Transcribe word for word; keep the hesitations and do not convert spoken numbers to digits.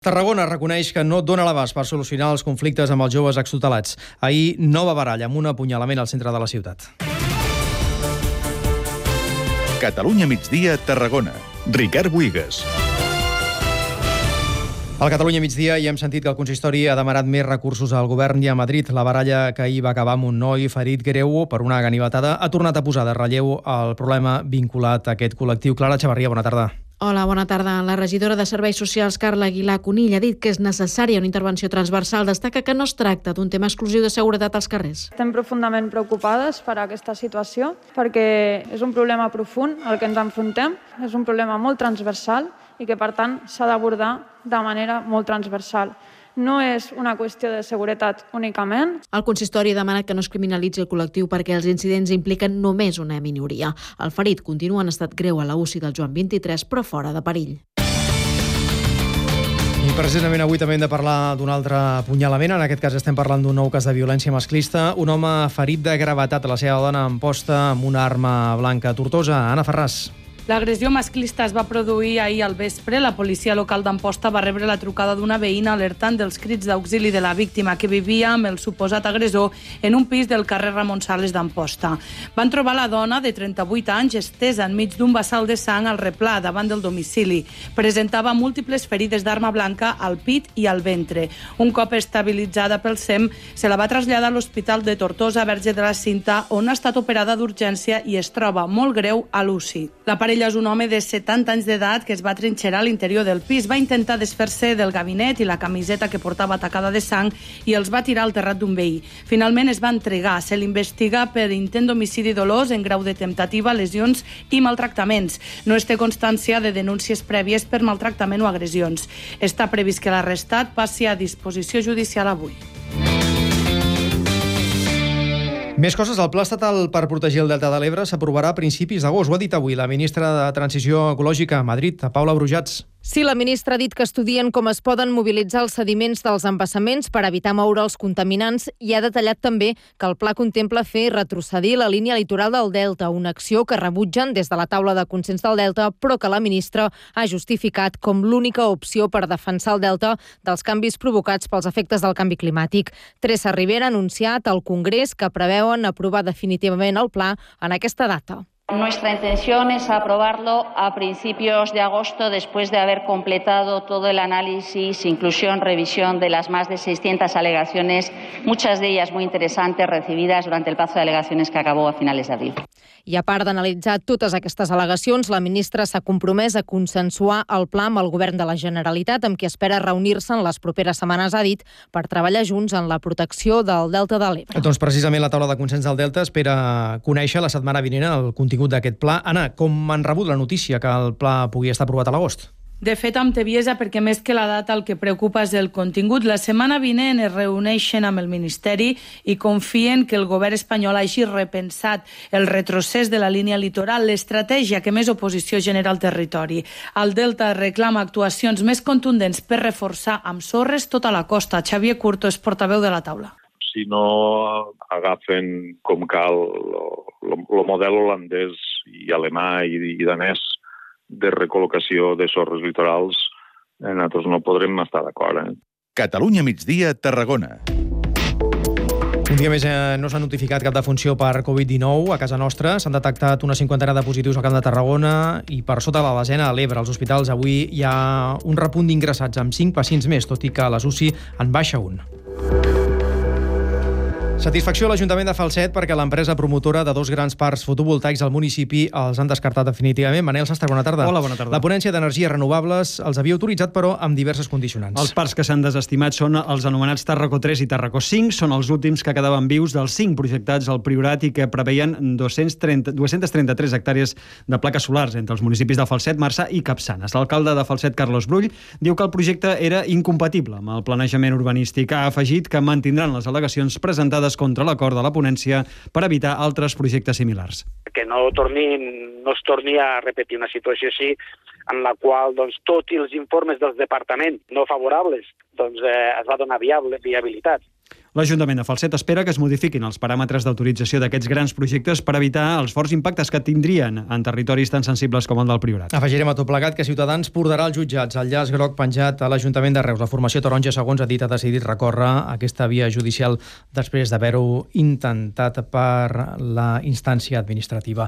Tarragona reconeix que no dona l'abast per solucionar els conflictes amb els joves extutelats. Ahir, nova baralla amb un apunyalament al centre de la ciutat. Catalunya migdia, Tarragona. Ricard Buigas. Al Catalunya migdia hi hem sentit que el consistori ha demanat més recursos al govern i a Madrid. La baralla que ahir va acabar amb un noi ferit greu per una ganivetada ha tornat a posar de relleu el problema vinculat a aquest col·lectiu. Clara Xavarria, bona tarda. Hola, bona tarda. La regidora de Serveis Socials, Carla Aguilar Conill, ha dit que és necessària una intervenció transversal. Destaca que no es tracta d'un tema exclusiu de seguretat als carrers. Estem profundament preocupades per aquesta situació perquè és un problema profund al que ens enfrontem, és un problema molt transversal i que, per tant, s'ha d'abordar de manera molt transversal. No és una qüestió de seguretat únicament. El consistori ha demanat que no es criminalitzi el col·lectiu perquè els incidents impliquen només una minoria. El ferit continua en estat greu a la U C I del Joan vint-i-tres, però fora de perill. I precisament avui també hem de parlar d'un altre apunyalament. En aquest cas estem parlant d'un nou cas de violència masclista. Un home ferit de gravetat a la seva dona en posta amb una arma blanca a Tortosa. Anna Ferràs. L'agressió masclista es va produir ahir al vespre. La policia local d'Amposta va rebre la trucada d'una veïna alertant dels crits d'auxili de la víctima, que vivia amb el suposat agressor en un pis del carrer Ramon Sales d'Amposta. Van trobar la dona de trenta-vuit anys estesa enmig d'un bassal de sang al replà davant del domicili. Presentava múltiples ferides d'arma blanca al pit i al ventre. Un cop estabilitzada pel S E M, se la va traslladar a l'Hospital de Tortosa Verge de la Cinta, on ha estat operada d'urgència i es troba molt greu a l'U C I. La parella és un home de setanta anys d'edat que es va trinxerar a l'interior del pis. Va intentar desfer-se del gabinet i la camiseta que portava tacada de sang i els va tirar al terrat d'un veí. Finalment es va entregar. Se l'investiga per intent d'homicidi dolós en grau de temptativa, lesions i maltractaments. No es té constància de denúncies prèvies per maltractament o agressions. Està previst que l'arrestat passi a disposició judicial avui. Més coses. El Pla Estatal per protegir el Delta de l'Ebre s'aprovarà a principis d'agost. Ho ha dit avui la ministra de Transició Ecològica a Madrid, Paula Brujats. Sí, la ministra ha dit que estudien com es poden mobilitzar els sediments dels embassaments per evitar moure els contaminants i ha detallat també que el pla contempla fer retrocedir la línia litoral del Delta, una acció que rebutgen des de la taula de consens del Delta, però que la ministra ha justificat com l'única opció per defensar el Delta dels canvis provocats pels efectes del canvi climàtic. Teresa Ribera ha anunciat al Congrés que preveuen aprovar definitivament el pla en aquesta data. Nuestra intención es aprobarlo a principios de agosto, después de haber completado todo el análisis, inclusión, revisión de las más de seiscientas alegaciones, muchas de ellas muy interesantes, recibidas durante el plazo de alegaciones que acabó a finales de abril. I a part d'analitzar totes aquestes al·legacions, la ministra s'ha compromès a consensuar el pla amb el govern de la Generalitat, amb qui espera reunir-se en les properes setmanes, ha dit, per treballar junts en la protecció del Delta de l'Ebre. Doncs precisament la taula de consens del Delta espera conèixer la setmana vinent el contingut d'aquest pla. Anna, com han rebut la notícia que el pla pugui estar aprovat a l'agost? De fet, amb tebiesa, perquè més que la data el que preocupa és el contingut. La setmana vinent es reuneixen amb el Ministeri i confien que el govern espanyol hagi repensat el retrocés de la línia litoral, l'estratègia que més oposició genera al territori. El Delta reclama actuacions més contundents per reforçar amb sorres tota la costa. Xavier Curto és portaveu de la taula. Si no agafen com cal el model holandès i alemà i, i danès de recol·locació de sorres litorals, eh, nosaltres no podrem estar d'acord. Eh? Catalunya migdia, Tarragona. Un dia més eh, no s'ha notificat cap defunció per covid dinou a casa nostra. S'han detectat una cinquantena de positius al Camp de Tarragona i per sota de la desena a l'Ebre. Als hospitals avui hi ha un repunt d'ingressats amb cinc pacients més, tot i que a les U C I en baixa un. Satisfacció a l'Ajuntament de Falset perquè l'empresa promotora de dos grans parcs fotovoltaics al municipi els han descartat definitivament. Manel Sastre, bona tarda. Hola, bona tarda. La ponència d'energies renovables els havia autoritzat, però amb diverses condicionants. Els parcs que s'han desestimat són els anomenats Tarraco tres i Tarraco cinc. Són els últims que quedaven vius dels cinc projectats al Priorat i que preveien dos-cents trenta-tres hectàrees de plaques solars entre els municipis de Falset, Marçà i Capçanes. L'alcalde de Falset, Carlos Brull, diu que el projecte era incompatible amb el planejament urbanístic. Ha afegit que mantindran les al·legacions presentades contra l'acord de la ponència per evitar altres projectes similars. Que no, torni, no es torni a repetir una situació així en la qual doncs, tots els informes dels departaments no favorables doncs, eh, es va donar viable, viabilitat. L'Ajuntament de Falset espera que es modifiquin els paràmetres d'autorització d'aquests grans projectes per evitar els forts impactes que tindrien en territoris tan sensibles com el del Priorat. Afegirem a tot plegat que Ciutadans portarà als jutjats el llaç groc penjat a l'Ajuntament de Reus. La formació taronja, segons ha dit, ha decidit recórrer aquesta via judicial després d'haver-ho intentat per la instància administrativa.